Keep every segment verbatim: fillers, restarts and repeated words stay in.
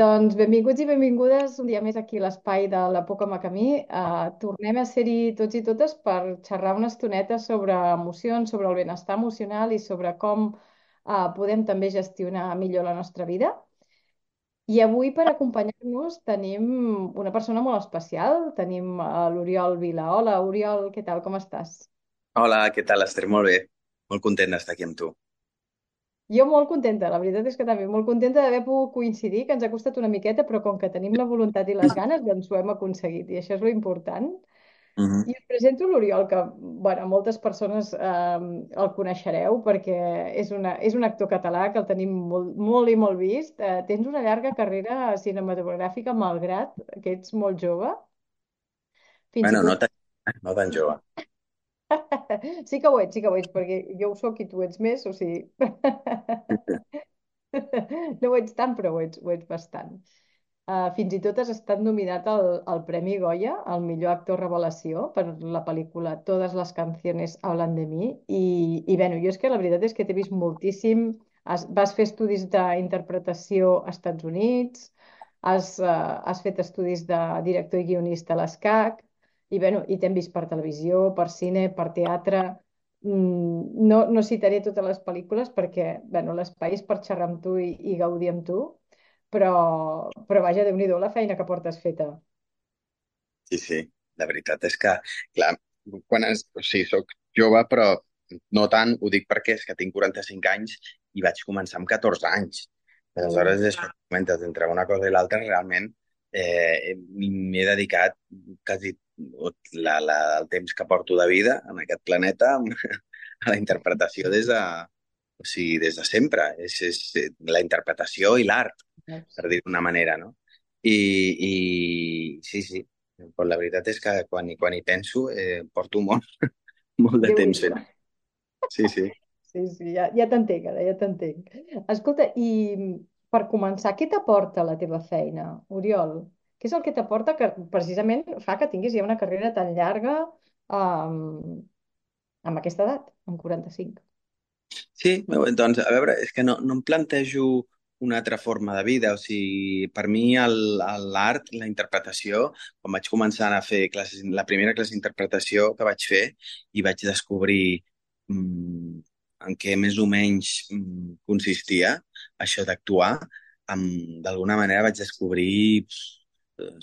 Doncs benvinguts i benvingudes un dia més aquí a l'espai de la Poca Macamí. Uh, tornem a ser-hi tots i totes per xerrar una estoneta sobre emocions, sobre el benestar emocional i sobre com uh, podem també gestionar millor la nostra vida. I avui per acompanyar-nos tenim una persona molt especial. Tenim uh, l'Oriol Vila. Hola, Oriol, què tal? Com estàs? Hola, què tal, Esther? Molt bé. Molt content d'estar aquí amb tu. Jo molt contenta, la veritat és que també molt contenta d'haver pogut coincidir, que ens ha costat una miqueta, però com que tenim la voluntat i les ganes, doncs ho hem aconseguit i això és lo important. Mhm. I us presento l'Oriol, que bueno, moltes persones eh, el coneixereu perquè és, una, és un actor català que el tenim molt, molt i molt vist. Eh, tens una llarga carrera cinematogràfica, malgrat que ets molt jove. Fins i Bueno, no tot... tan, no tan jove. Sí que ho ets, sí que ho ets, perquè jo ho soc i tu ets més, o sigui... No ho ets tant, però ho ets, ho ets bastant. Uh, fins i tot has estat nominat al, al Premi Goya, al millor actor revelació, per la pel·lícula Todas las canciones hablan de mí. I, i bueno, jo és que la veritat és que t'he vist moltíssim. Has, vas fer estudis d'interpretació als Estats Units, has, uh, has fet estudis de director i guionista a l'ESCAC, i, bueno, i t'hem vist per televisió, per cine, per teatre. Mm, no, no citaré totes les pel·lícules perquè bueno, l'espai és per xerrar amb tu i, i gaudir amb tu, però, però vaja, Déu-n'hi-do la feina que portes feta. Sí, sí. La veritat és que, clar, quan es, o sigui, soc jove, però no tant, ho dic perquè és que tinc quaranta-cinc anys i vaig començar amb catorze anys. Uh, Aleshores, això que comentes, entre una cosa i l'altra, realment eh, m'he dedicat quasi tot la, la, el temps que porto de vida en aquest planeta a la interpretació des de, o sigui, des de sempre. És, és la interpretació i l'art, veus? per dir d'una manera, no? I, i sí, sí, però la veritat és que quan, hi- quan hi penso eh, porto molt, molt de temps Déu-n'hi-do. fent. Sí, sí. Sí, sí, ja, ja t'entenc, ara, ja t'entenc. Escolta, i per començar, què t'aporta la teva feina, Oriol? Què és el que t'aporta que precisament fa que tinguis ja una carrera tan llarga um, amb aquesta edat, amb quaranta-cinc? Sí, doncs, a veure, és que no, no em plantejo una altra forma de vida. O sigui, per mi el- el- l'art, la interpretació, quan vaig començar a fer classes, la primera classe d'interpretació que vaig fer i vaig descobrir mm, en què més o menys mm, consistia això d'actuar, em- d'alguna manera vaig descobrir, pf,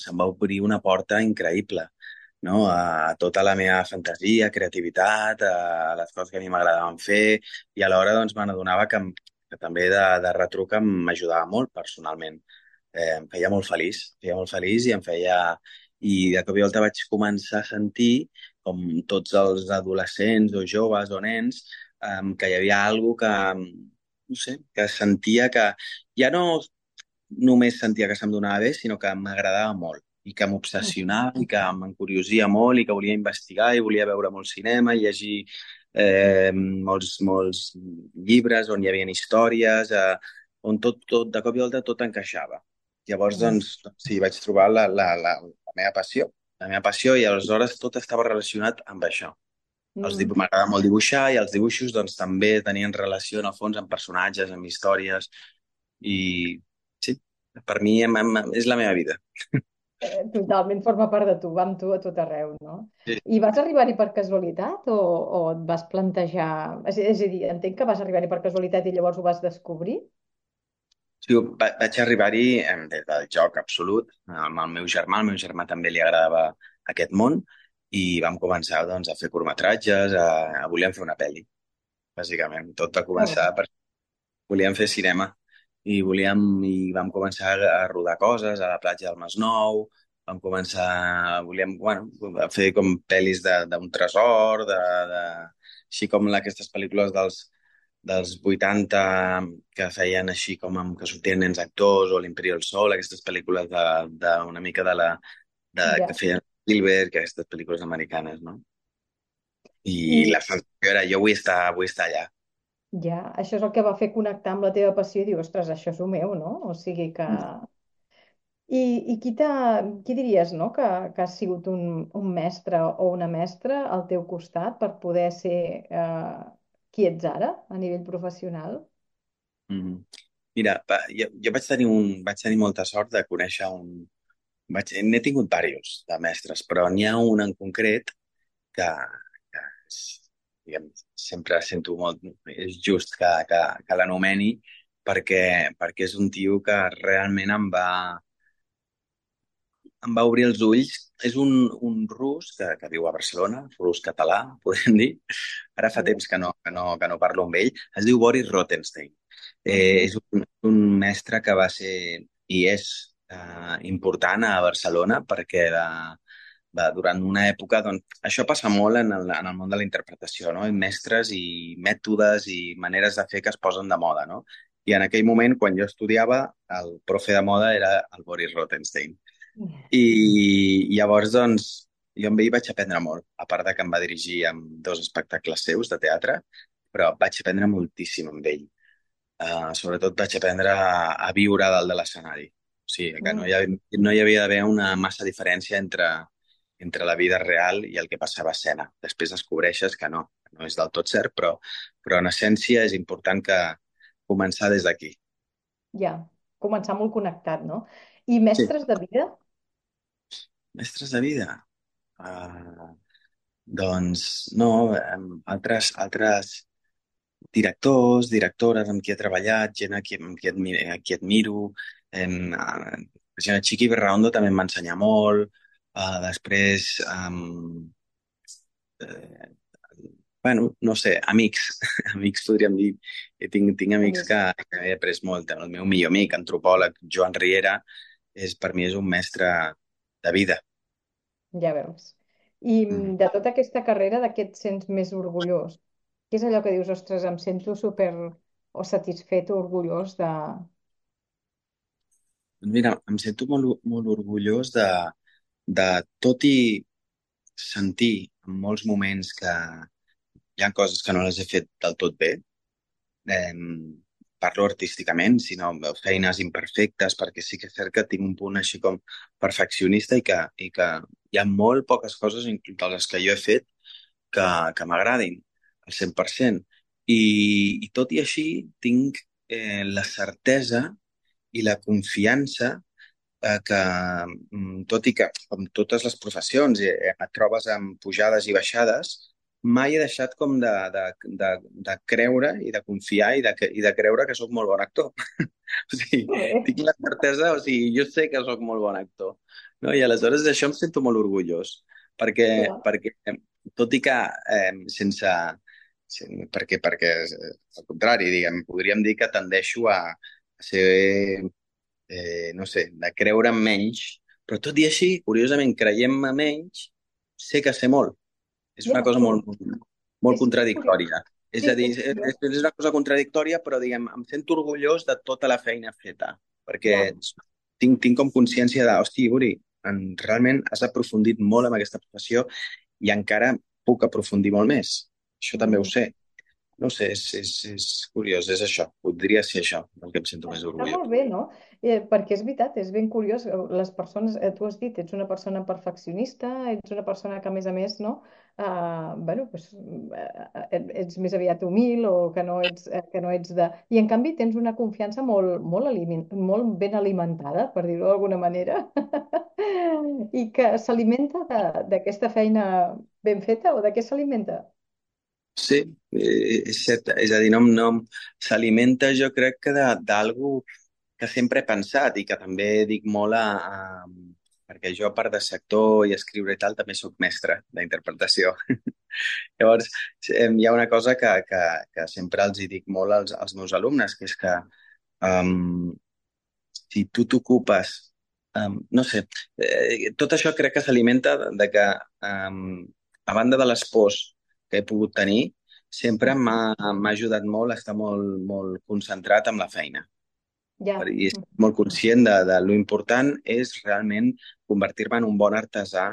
se'm va obrir una porta increïble, no? A tota la meva fantasia, creativitat, a les coses que a mi m'agradaven fer, i alhora doncs, me n'adonava que, em- que també de, de retruc em- m'ajudava molt personalment. Eh, em feia molt feliç, em feia molt feliç i em feia... I de cop i volta vaig començar a sentir, com tots els adolescents o joves o nens, eh, que hi havia alguna que, no sé, que sentia que ja no només sentia que se'm donava bé, sinó que m'agradava molt i que m'obsessionava i que m'encuriosia molt i que volia investigar i volia veure molt cinema i llegir eh, molts, molts llibres on hi havia històries, eh, on tot, tot, de cop i volta tot encaixava. Llavors, Mm. doncs, doncs sí, vaig trobar la, la, la, la meva passió, la meva passió i aleshores tot estava relacionat amb això. Els Mm. dibu- M'agrada molt dibuixar i els dibuixos doncs, també tenien relació en el fons amb personatges, amb històries i sí, per mi em, em, és la meva vida. Eh, totalment forma part de tu, va amb tu a tot arreu, no? Sí. I vas arribar-hi per casualitat o, o et vas plantejar... És, és a dir, entenc que vas arribar-hi per casualitat i llavors ho vas descobrir? Sí, va- vaig arribar-hi em, des del joc absolut, amb el meu germà. Al meu germà també li agradava aquest món i vam començar doncs, a fer curtmetratges, a, a volíem fer una pel·li, bàsicament. Tot va Que començar bo. per... Volíem fer cinema i volíem i vam començar a rodar coses a la platja del Masnou, vam començar, volíem, bueno, a fer com pel·lis de- d'un tresor, de, de, així com la- aquestes pel·lícules dels, dels vuitanta que feien així com amb, que sortien nens actors o l'Imperi del Sol, aquestes pel·lícules de, de una mica de la de, que Ja. feien Spielberg, aquestes pel·lícules americanes, no? I I la sensació era, jo vull estar, vull estar allà. ja, això és el que va fer connectar amb la teva passió i dir, ostres, això és el meu, no? O sigui que... I, i qui t'ha, qui diries, no? Que, que ha sigut un, un mestre o una mestra al teu costat per poder ser eh, qui ets ara a nivell professional? Mm. Mira, va, jo, jo vaig tenir un, vaig tenir molta sort de conèixer un... Vaig, n'he tingut diversos de mestres, però n'hi ha un en concret que, que és, diguem, sempre sento molt... És just que, que, que l'anomeni perquè, perquè és un tio que realment em va, em va obrir els ulls. És un, un rus que, que viu a Barcelona, rus català, podem dir. Ara fa temps que no, que no, que no parlo amb ell. Es diu Boris Rothenstein. Eh, Mhm. és un, un mestre que va ser i és eh, important a Barcelona perquè de, de, durant una època, doncs, això passa molt en el, en el món de la interpretació, no? Mestres i mètodes i maneres de fer que es posen de moda, no? I en aquell moment, quan jo estudiava, el profe de moda era el Boris Rothenstein. I llavors, doncs, jo amb ell vaig aprendre molt, a part de que em va dirigir amb dos espectacles seus de teatre, però vaig aprendre moltíssim amb ell. Uh, sobretot vaig aprendre a, a viure a dalt de l'escenari. O sigui, que no hi, Mm. havia, no hi havia d'haver una massa diferència entre, entre la vida real i el que passava a escena. Després descobreixes que no, que no és del tot cert, però, però en essència és important que començar des d'aquí. Ja, començar molt connectat, no? I Sí. mestres de vida? Mestres de vida. Uh, doncs no, em, altres, altres directors, directores amb qui he treballat, gent a qui, amb qui, admi a qui admiro. Em, a, per exemple, Chiqui Berraondo també em va ensenyar molt. Uh, després, um, eh, bueno, no sé, amics. Amics podríem dir. Eh, Tinc, tinc amics que, Amics, que he après molt. El meu millor amic, antropòleg, Joan Riera, és, per mi és un mestre de vida. ja veus. I Mm. mm, de tota aquesta carrera, de què et sents més orgullós? Què és allò que dius, ostres, em sento super o satisfet o orgullós de... Doncs mira, em sento molt, molt orgullós de, de tot i sentir en molts moments que hi ha coses que no les he fet del tot bé. Eh, parlo artísticament, sinó feines imperfectes, perquè sí que és cert que tinc un punt així com perfeccionista i que, i que hi ha molt poques coses, inclús de les que jo he fet, que, que m'agradin al cent per cent. I, I tot i així tinc eh, la certesa i la confiança eh, que, mm, tot i que, com totes les professions, eh, et trobes amb pujades i baixades, mai he deixat com de, de, de, de creure i de confiar i de, i de creure que sóc molt bon actor. O sigui, Molt bé, tinc la certesa, o sigui, jo sé que sóc molt bon actor, no? I aleshores d'això em sento molt orgullós, perquè, clar. perquè tot i que eh, sense, sen- perquè, perquè eh, al contrari, diguem, podríem dir que tendeixo a, a ser eh, no sé, de creure en menys, però tot i així, curiosament, creiem-me menys, sé que sé molt. És una Ja, cosa que molt, bo. molt És curiós. contradictòria. És Sí, a dir, és és, curiós. és una cosa contradictòria, però diguem, em sento orgullós de tota la feina feta, perquè Ja. tinc, tinc com consciència de, hosti, Uri, en, realment has aprofundit molt en aquesta professió i encara puc aprofundir molt més. Això també ho Mhm. sé. No ho sé, és, és, és curiós, és això. Podria ser això, del que em sento més Està orgullós. molt bé, no? Eh, perquè és veritat, és ben curiós. eh, Les persones, eh, tu has dit, ets una persona perfeccionista, ets una persona que, a més a més, no? Uh, bueno, pues, eh, ets més aviat humil o que no ets, eh, que no ets de... I, en canvi, tens una confiança molt, molt, aliment, molt ben alimentada, per dir-ho d'alguna manera, i que s'alimenta de- d'aquesta feina ben feta o de què s'alimenta? Sí, eh, és cert. És a dir, no, no s'alimenta, jo crec que de- d'algú que sempre he pensat i que també dic molt a, a, perquè jo, a part de ser actor i escriure i tal, també sóc mestre d'interpretació. Llavors, eh, hi ha una cosa que, que, que sempre els hi dic molt als, als meus alumnes, que és que um, si tu t'ocupes, um, no sé, eh, tot això crec que s'alimenta de, de que, um, a banda de les pors que he pogut tenir, sempre Mm. m'ha m'ha ajudat molt a estar molt, molt concentrat en la feina. Per- Ja. I estic molt conscient de, de lo important és realment convertir-me en un bon artesà,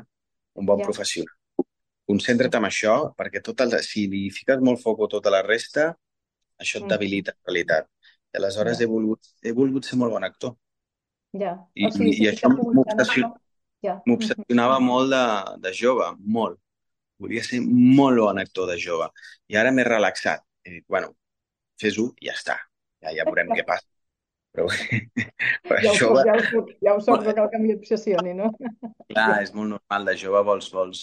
un bon Ja. professional. Concentra't en això, perquè tot el, si li fiques molt foc a tota la resta, això et Mhm. debilita en realitat. I aleshores Ja. he volgut, he volgut ser molt bon actor. Ja. I, O sigui, i si això ficar-te en això, m'obsession- ja. Mhm. m'obsessionava molt de, de jove, molt. Volia ser molt bon actor de jove. I ara m'he relaxat. He dit, bueno, fes-ho i ja està. Ja, ja veurem què passa. però, però Ja ho soc, jove, ja ho soc, ja ho soc, no cal que m'hi obsessioni, no? clar, Ja, és molt normal, de jove vols, vols,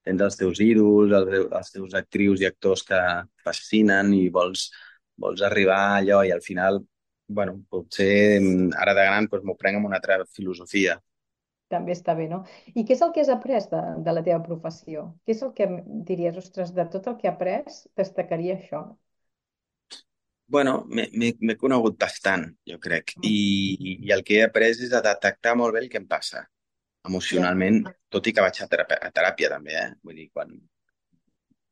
tens els teus ídols, els, teus- els teus actrius i actors que et fascinen i vols, vols arribar a allò i al final, bueno, potser mm, ara de gran doncs, m'ho prenc amb una altra filosofia. també està bé, no? I què és el que has après de, de la teva professió? Què és el que diries, ostres, de tot el que he après, destacaria això? Bueno, m'he m'he- m'he conegut bastant, jo crec, Mm, I, i el que he après és a detectar molt bé el que em passa ja, emocionalment, tot i que vaig a teràpia, a teràpia també, eh? Vull dir, quan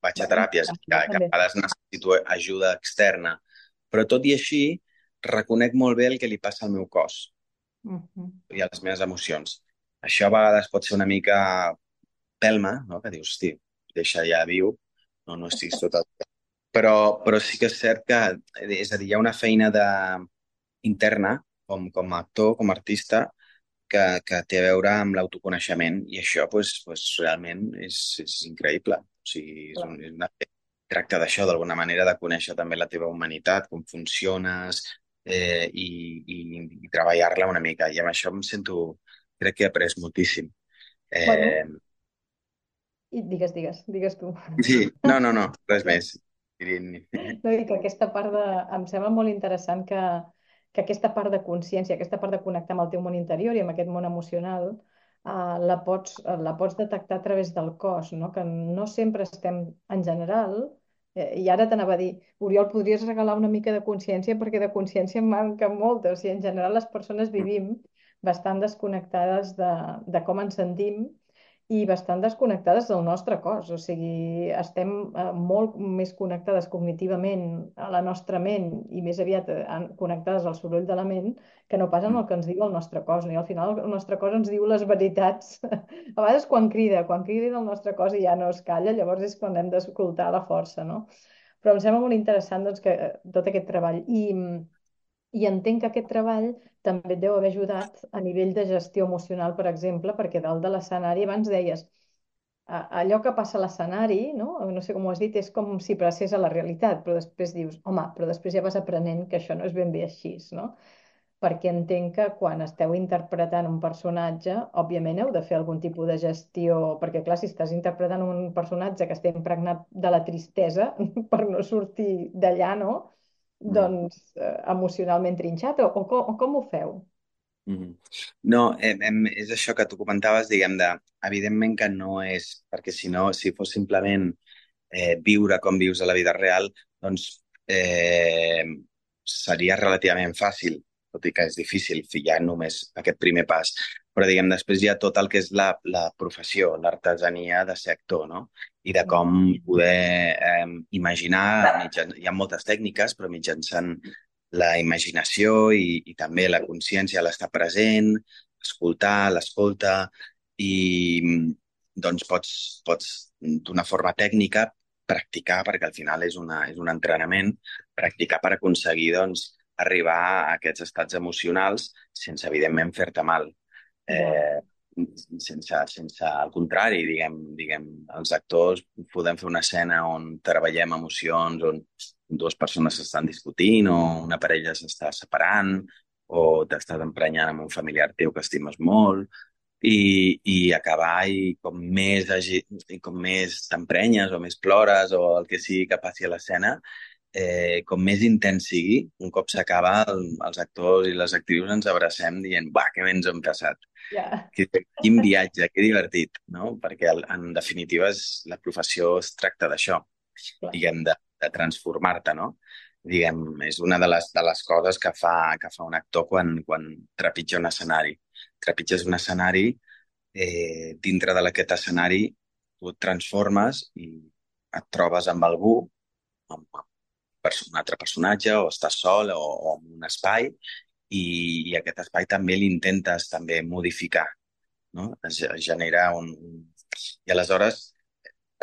vaig a bueno, teràpies, que, jo que a també. vegades necessito ajuda externa, però tot i així reconec molt bé el que li passa al meu cos Mhm, i a les meves emocions. Això a vegades pot ser una mica pelma, no? Que dius, hosti, deixa ja viu, no, no estiguis tot el... Però, però sí que és cert que, és a dir, hi ha una feina de, interna, com, com a actor, com a artista, que, que té a veure amb l'autoconeixement i això pues, pues, realment és, és increïble. O sigui, és, clar. un, és una... tracta d'això, d'alguna manera, de conèixer també la teva humanitat, com funciones eh, i, i, i treballar-la una mica. I amb això em sento, crec que he après moltíssim. Bueno, Eh, i digues, digues, digues tu. sí, no, no, no, res més. No, i que aquesta part de... Em sembla molt interessant que, que aquesta part de consciència, aquesta part de connectar amb el teu món interior i amb aquest món emocional, eh, la pots, eh, la pots detectar a través del cos, no? Que no sempre estem, en general, eh, i ara t'anava a dir, Oriol, podries regalar una mica de consciència perquè de consciència en manca molta. O sigui, en general les persones vivim bastant desconnectades de, de com ens sentim i bastant desconnectades del nostre cos. O sigui, estem eh, molt més connectades cognitivament a la nostra ment i més aviat eh, en- connectades al soroll de la ment que no pas en el que ens diu el nostre cos. No? I al final el nostre cos ens diu les veritats. A vegades quan crida, quan crida el nostre cos i ja no es calla, llavors és quan hem d'escoltar la força, no? Però em sembla molt interessant doncs, que, eh, tot aquest treball. I, i entenc que aquest treball també et deu haver ajudat a nivell de gestió emocional, per exemple, perquè dalt de l'escenari, abans deies, a- allò que passa a l'escenari, no? No sé com ho has dit, és com si passés a la realitat, però després dius, home, però després ja vas aprenent que això no és ben bé així, no? Perquè entenc que quan esteu interpretant un personatge, òbviament heu de fer algun tipus de gestió, perquè clar, si estàs interpretant un personatge que està impregnat de la tristesa, per no sortir d'allà, no? Mm. Doncs eh, emocionalment trinxat, o, o, com, o com ho feu? Mhm. No, em, em, és això que tu comentaves, diguem, de, evidentment que no és, perquè si no, si fos simplement eh, viure com vius a la vida real, doncs eh, seria relativament fàcil, tot i que és difícil fer ja només aquest primer pas. Però, diguem, després hi ha tot el que és la, la professió, l'artesania de ser actor, no? I de Ja, com poder eh, imaginar, mitjan... hi ha moltes tècniques, però mitjançant la imaginació i, i també la consciència, l'estar present, escoltar, l'escolta, i doncs pots, pots d'una forma tècnica practicar, perquè al final és, una, és un entrenament, practicar per aconseguir doncs, arribar a aquests estats emocionals sense, evidentment, fer-te mal. ja, Eh, sense, sense, al contrari, diguem, diguem, els actors podem fer una escena on treballem emocions, on dues persones s'estan discutint o una parella s'està separant o t'estàs emprenyant amb un familiar teu que estimes molt i, i acabar i com més, agi- i com més t'emprenyes o més plores o el que sigui que passi a l'escena, eh, com més intens sigui, un cop s'acaba, el, els actors i les actrius ens abracem dient, va, que bé ens ho hem passat. ja, Que, quin viatge, que divertit, no? Perquè el- en definitiva és, la professió es tracta d'això, clar, diguem, de, de transformar-te, no? Diguem, és una de les, de les coses que fa, que fa un actor quan, quan trepitja un escenari. Trepitges un escenari, eh, dintre d'aquest escenari tu et transformes i et trobes amb algú, amb, amb perso- un altre personatge, o estàs sol o, o en un espai, i, i aquest espai també l'intentes també modificar, no? Es, es genera un... un- I aleshores,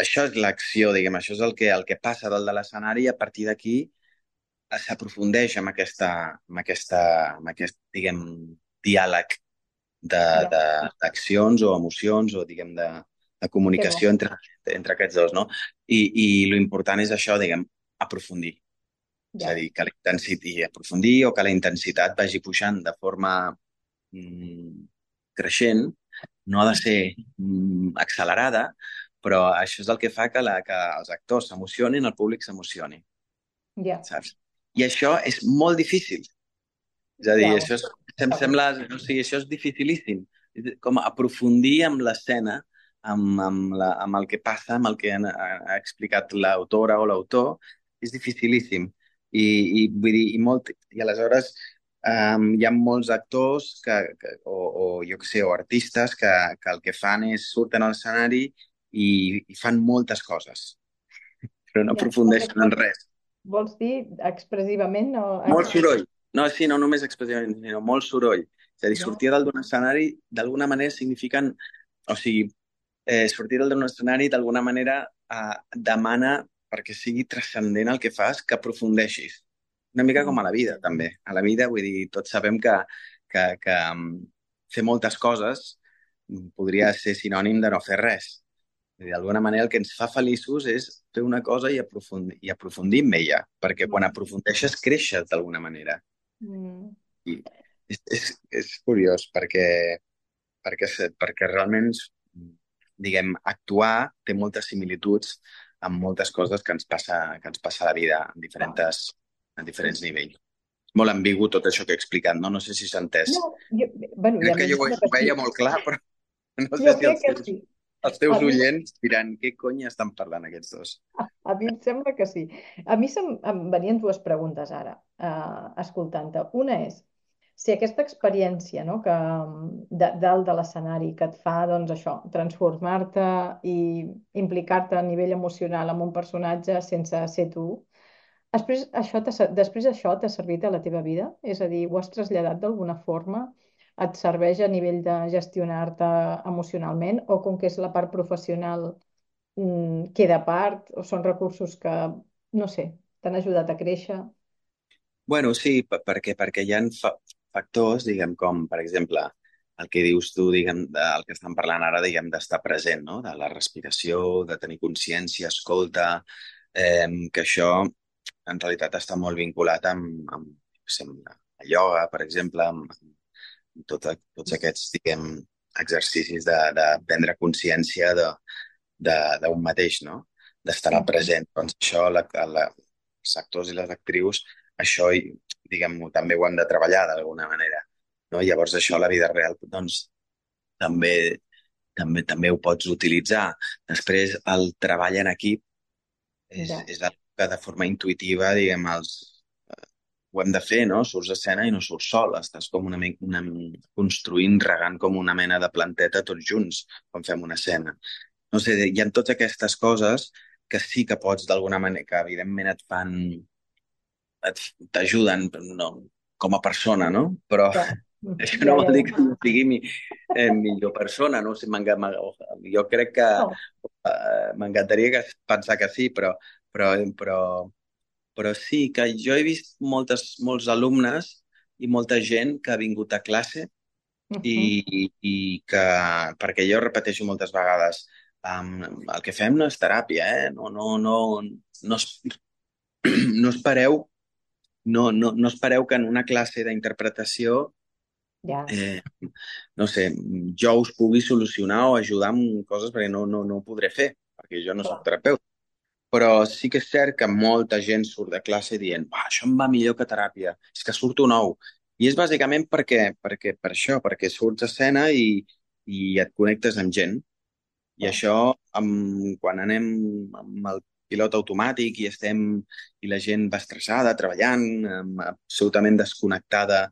això és l'acció, diguem, això és el que, el que passa dalt de l'escenari i a partir d'aquí eh, s'aprofundeix amb aquesta, amb aquesta, amb aquest, diguem, diàleg de, ja, de, d'accions o emocions o, diguem, de, de que bo. comunicació entre, entre aquests dos, no? I, i lo important és això, diguem, aprofundir. És a Ja, dir, que la intensitat aprofundir o que la intensitat vagi pujant de forma mm, creixent, no ha de ser mm, accelerada, però això és el que fa que, la, que els actors s'emocionin, el públic s'emocioni, ja, saps? I això és molt difícil. És a dir, ja, això és, em sembla, o sigui, això és dificilíssim. Com aprofundir amb l'escena, amb, amb, la, amb el que passa, amb el que ha, ha explicat l'autora o l'autor, és dificilíssim. I, i, vull dir, i, molt, i aleshores um, hi ha molts actors que, que, o, o jo què sé, o artistes que, que el que fan és surten a l'escenari i, i fan moltes coses, però no ja. Moltes aprofundeixen en coses, res. vols dir expressivament o Molt ex... soroll. No, sí, no només expressivament, sinó molt soroll. És a dir, Ja. sortir dalt d'un escenari d'alguna manera signifiquen... O sigui, eh, sortir dalt d'un escenari d'alguna manera eh, demana, perquè sigui transcendent el que fas, que aprofundeixis. Una mica com a la vida, també. A la vida, vull dir, tots sabem que, que, que um, fer moltes coses mm, podria ser sinònim de no fer res. Vull dir, d'alguna manera el que ens fa feliços és fer una cosa i aprofundir, i aprofundir en ella, perquè quan Mm. aprofundeixes creixes d'alguna manera. Mm. I és, és, és curiós perquè, perquè, se- perquè realment, diguem, actuar té moltes similituds amb moltes coses que ens passa, que ens passa a la vida en Clar. diferents, en Sí, diferents sí. nivells. Molt ambigu tot això que he explicat, no? No sé si s'ha entès. No, jo, bueno, i a Crec mi que em jo ho, sembla que ho sí. veia molt clar, però no sé Jo si crec els que teus, sí. els A teus mi, oients diran què cony estan parlant aquests dos. a mi em sembla que sí. A mi se'm, em venien dues preguntes ara, eh, escoltant-te. Una és, si aquesta experiència, no, que de, dalt de l'escenari que et fa, doncs això, transformar-te i implicar-te a nivell emocional amb un personatge sense ser tu, després això t'ha ser- després això t'ha servit a la teva vida? És a dir, ho has traslladat d'alguna forma? Et serveix a nivell de gestionar-te emocionalment o com que és la part professional mm, queda a part o són recursos que, no sé, t'han ajudat a créixer? Bueno, sí, per- perquè, perquè hi ha fa factors, diguem, com, per exemple, el que dius tu, diguem, de- el que estem parlant ara, diguem, d'estar present, no? De la respiració, de tenir consciència, escolta, eh, que això en realitat està molt vinculat amb, amb, jo què sé, amb la la ioga, per exemple, amb, amb tot, tots aquests, diguem, exercicis de, de prendre consciència de, de, d'un mateix, no? D'estar al Mhm. present. Doncs això, la, la, els actors i les actrius, això, i, diguem-ho, també ho han de treballar d'alguna manera, no? Llavors això a la vida real, doncs, també, també, també ho pots utilitzar. Després, el treball en equip és, Ja, és el que de forma intuïtiva, diguem, els, ho hem de fer, no? Surts a escena i no surts sol, estàs com una, mica- una, construint, regant com una mena de planteta tots junts quan fem una escena. No sé, hi ha totes aquestes coses que sí que pots d'alguna manera, que evidentment et fan, et- t'ajuden no, com a persona, no? Però ja, Mm, això ja, no ja, vol dir ja. que jo sigui mi, eh, millor persona, no? O sigui, m'enga- m'enga- jo crec que No, eh, m'encantaria que pensar que sí, però, però, però, però sí que jo he vist moltes, molts alumnes i molta gent que ha vingut a classe mhm, i, i que, perquè jo repeteixo moltes vegades, um, el que fem no és teràpia, eh? No, no, no, no, es- no espereu, no, no, no espereu que en una classe d'interpretació, ja, eh, no sé, jo us pugui solucionar o ajudar amb coses perquè no, no, no ho podré fer, perquè jo no sóc clar, terapeuta. Però sí que és cert que molta gent surt de classe dient "Uah, això em va millor que teràpia, és que surto nou." I és bàsicament perquè, perquè, per això, perquè surts a escena i, i et connectes amb gent. I clar, això, amb, quan anem amb el pilot automàtic i estem i la gent va estressada, treballant, amb, absolutament desconnectada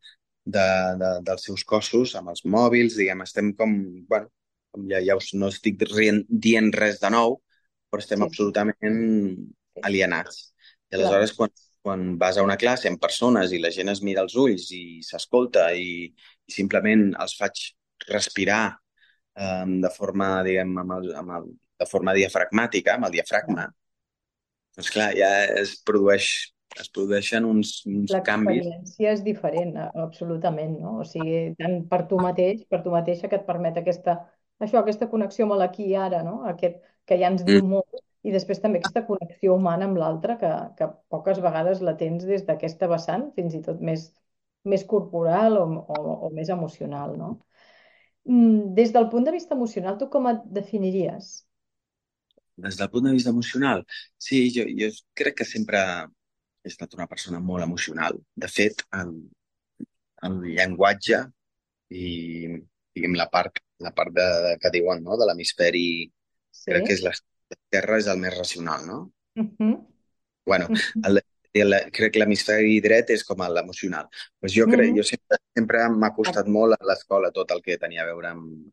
de, de, dels seus cossos, amb els mòbils, diguem, estem com, bueno, com ja, ja us, no estic rient, dient res de nou, però estem sí, sí, absolutament sí, alienats. I clar, aleshores, quan, quan vas a una classe amb persones i la gent es mira als ulls i s'escolta i, i simplement els faig respirar um, de forma, diguem, amb el, amb el, de forma diafragmàtica, amb el ja. diafragma, doncs clar, ja es produeix, es produeixen uns, uns canvis. L'experiència és diferent, a- absolutament, no? O sigui, tant per tu mateix, per tu mateixa, que et permet aquesta, això, aquesta connexió amb l'aquí i ara, no? Aquest que ja ens Mm. diu molt i després també aquesta connexió humana amb l'altre que, que poques vegades la tens des d'aquesta vessant, fins i tot més, més corporal o, o, o més emocional, no? Mm, Des del punt de vista emocional, tu com et definiries? Des del punt de vista emocional, sí, jo, jo crec que sempre he estat una persona molt emocional. De fet, el, el llenguatge i, diguem, la part, la part de, de, que diuen, no?, de l'hemisferi, crec que Sí. és l'esquerra és el més racional, no? Mhm. Bueno, Mhm. el, el, crec que l'hemisferi dret és com l'emocional. Pues jo crec, Mhm. jo sempre, sempre m'ha costat Exacte. molt a l'escola tot el que tenia a veure amb,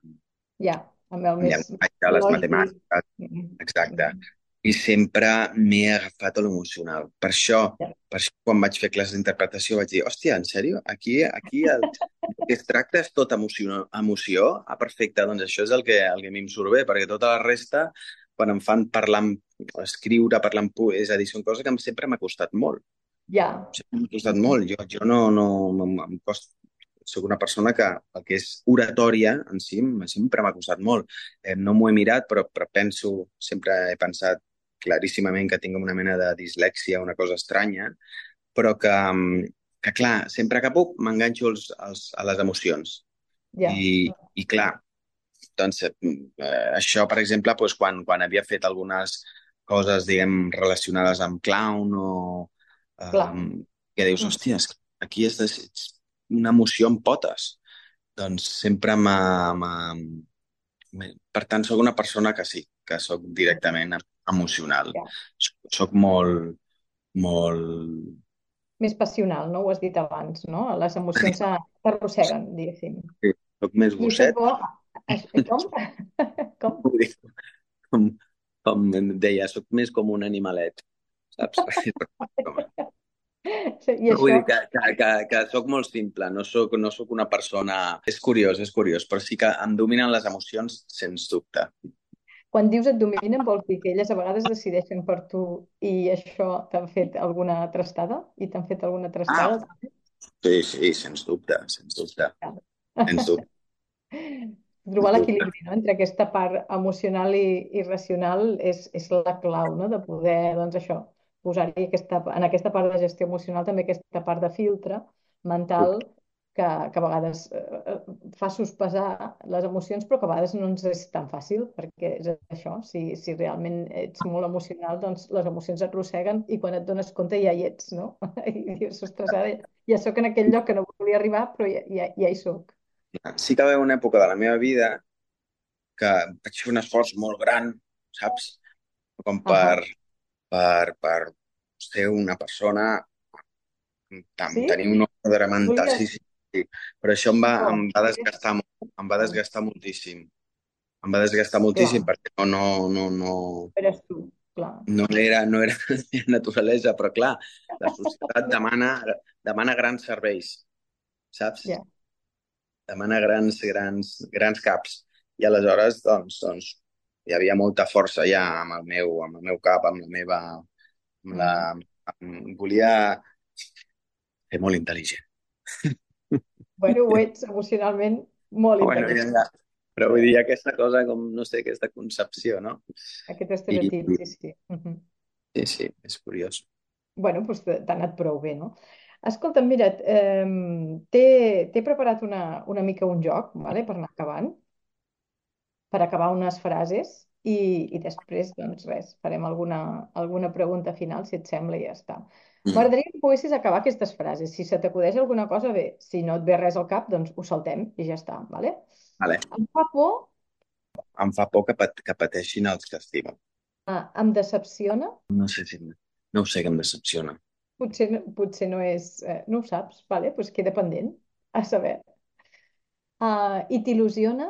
Ja, amb el amb més llenguatge, les lògic. matemàtiques, Mhm. exacte. Mhm. I sempre m'he agafat a l'emocional. Per això, Ja, per això, quan vaig fer classes d'interpretació vaig dir, hòstia, en sèrio? Aquí, aquí el, el que es tracta és tot emoció, emoció? Ah, perfecte, doncs això és el que, el que a mi em surt bé, perquè tota la resta, quan em fan parlar, amb- escriure, parlar en pu, és a dir, són coses que em, sempre m'ha costat molt. ja. Sempre m'ha costat Mhm. molt. Jo, jo no, no, no em costa, soc una persona que el que és oratòria en si em- sempre m'ha costat molt. Eh, no m'ho he mirat, però, però penso, sempre he pensat claríssimament que tinc una mena de dislèxia, una cosa estranya, però que, mm, que clar, sempre que puc m'enganxo als, als, a les emocions. Ja, I, i clar, doncs, eh, això, per exemple, doncs, quan, quan havia fet algunes coses, diguem, relacionades amb clown o clar. eh, que dius, Mhm. hòstia, és que aquí és, de, és una emoció amb potes. Doncs sempre m'ha... m'ha- m'he- Per tant, sóc una persona que sí, que sóc directament emocional. Ja. Soc, soc molt, molt... Més passional, no? Ho has dit abans, no? Les emocions a- s'arrosseguen, diguéssim. Soc més I això és gosset, bo. Això- Com? Com? vull dir, com, com em deia, sóc més com un animalet, saps? I No, vull això, dir que, que, que, que sóc molt simple, no sóc, no sóc una persona... És curiós, és curiós, però sí que em dominen les emocions, sens dubte. quan dius et dominen, vols dir que elles a vegades decideixen per tu i això t'han fet alguna trastada? I t'han fet alguna Ah, trastada? sí, sí, sens dubte, sens dubte, sens dubte, Trobar sens dubte. l'equilibri, no? Entre aquesta part emocional i, i racional és, és la clau, no? De poder, doncs això, posar-hi aquesta, en aquesta part de gestió emocional també aquesta part de filtre mental que, que a vegades eh, eh, fa sospesar les emocions, però que a vegades no ens és tan fàcil, perquè és això, si, si realment ets molt emocional, doncs les emocions et arrosseguen i quan et dones compte ja hi ets, no? I dius, ostres, ara ja sóc en aquell lloc que no volia arribar, però ja, ja, ja hi soc. Sí que va haver una època de la meva vida que vaig fer un esforç molt gran, saps? Com Ahà. per, per, per ser una persona, tam- Sí? tenir un ordre mental, Volies... sí, sí, sí. Però això em va, Oh, em va és... desgastar, molt, em va oh, desgastar moltíssim. Em va desgastar moltíssim clar, perquè no, no, no, no, eres tu, clar. no era, no era la meva naturalesa, però clar, la societat demana, demana grans serveis, saps? Ja. Demana grans, grans, grans caps. I aleshores, doncs, doncs, hi havia molta força ja amb el meu, amb el meu cap, amb la meva... Amb la, Mm. amb, volia ser molt intel·ligent. Bueno, ho ets emocionalment molt Bueno, ja, intel·ligent. ja. Però vull Eh, dir, aquesta cosa, com, no sé, aquesta concepció, no? Aquest I, estereotip, sí, sí. Mhm. sí, sí, és curiós. Bueno, doncs t'ha anat prou bé, no? Escolta, mira, eh, t'he t'he preparat una, una mica un joc, vale, per anar acabant, per acabar unes frases i, i després, doncs res, farem alguna, alguna pregunta final, si et sembla, i ja està. Mm. M'agradaria que poguessis acabar aquestes frases. Si se t'acudeix alguna cosa, bé. Si no et ve res al cap, doncs ho saltem i ja està, vale? Vale. Em fa por, Em fa por que, pat, que pateixin els que estimen. eh, em decepciona, No sé si... No ho sé, que em decepciona. potser, no- potser no és... Eh, no ho saps, vale? Doncs queda pendent, a saber. Uh, I t'il·lusiona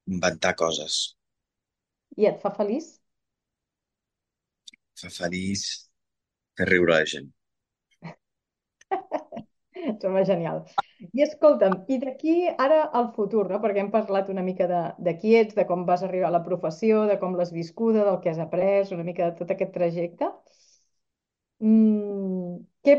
Inventar coses. i et fa feliç? Fa feliç fer riure la gent. Sembla genial. I escolta'm, i d'aquí ara al futur, no? Perquè hem parlat una mica de, de qui ets, de com vas arribar a la professió, de com l'has viscuda, del que has après, una mica de tot aquest trajecte. Mm, què,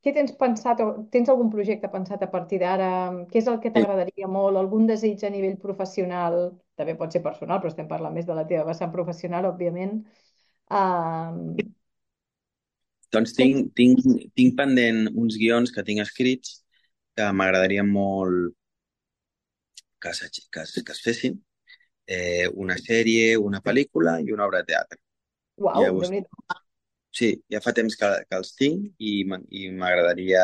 què tens pensat o tens algun projecte pensat a partir d'ara? Què és el que Sí. t'agradaria molt? Algun desig a nivell professional? També pot ser personal, però estem parlant més de la teva vessant professional, òbviament. Um, Doncs sí, tinc, tinc, tinc pendent uns guions que tinc escrits que m'agradaria molt que, s'aix- que, es, que es fessin. Eh, una sèrie, una pel·lícula i una obra de teatre. Ja uau, ho déu-n'hi-do. Sí, ja fa temps que, que els tinc i m'en- i m'agradaria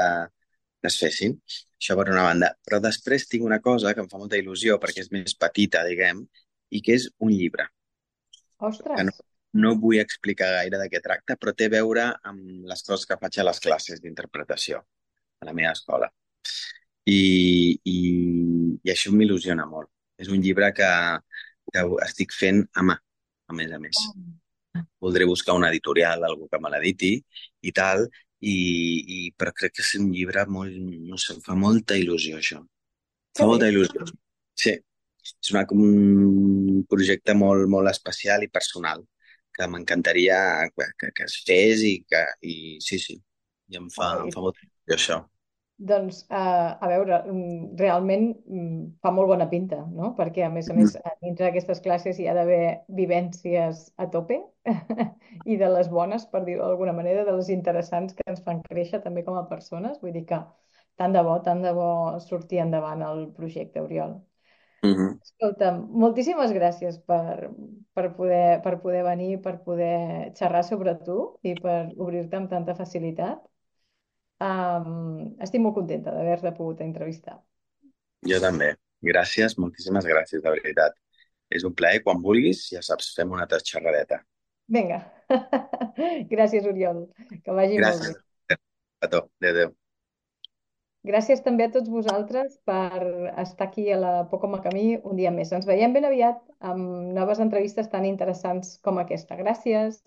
que es fessin. Això per una banda. Però després tinc una cosa que em fa molta il·lusió perquè és més petita, diguem, i que és un llibre, que no, Ostres, no vull explicar gaire de què tracta, però té a veure amb les coses que faig a les classes d'interpretació a la meva escola. I, i, i això m'il·lusiona molt. És un llibre que, que estic fent a mà, a més a més. Voldré buscar una editorial, algú que me l'editi i tal, i, i, però crec que és un llibre molt, no sé, em fa molta il·lusió, això. que Fa bé. molta il·lusió. Sí, és una, un projecte molt, molt especial i personal, que m'encantaria que, que, que es fes i que, i sí, sí, i em fa, em Oi, fa molta il·lusió, això. doncs, eh, a veure, mm, realment mm, fa molt bona pinta, no? Perquè, a més a més, a dintre d'aquestes classes hi ha d'haver vivències a tope i de les bones, per dir-ho d'alguna manera, de les interessants que ens fan créixer també com a persones. Vull dir que tant de bo, tant de bo sortir endavant el projecte, Oriol. Mm -hmm. Escolta, moltíssimes gràcies per, per poder, per poder venir, per poder xerrar sobre tu i per obrir-te amb tanta facilitat. Um, estic molt contenta d'haver-te pogut entrevistar. Jo també. Gràcies, moltíssimes gràcies, de veritat. És un plaer, quan vulguis, ja saps, fem una altra xerradeta. Vinga. Gràcies, Oriol. Que vagi molt bé. Gràcies a tu. Adéu, adéu. Gràcies també a tots vosaltres per estar aquí a la Poco Camí un dia més. Ens veiem ben aviat amb noves entrevistes tan interessants com aquesta. Gràcies.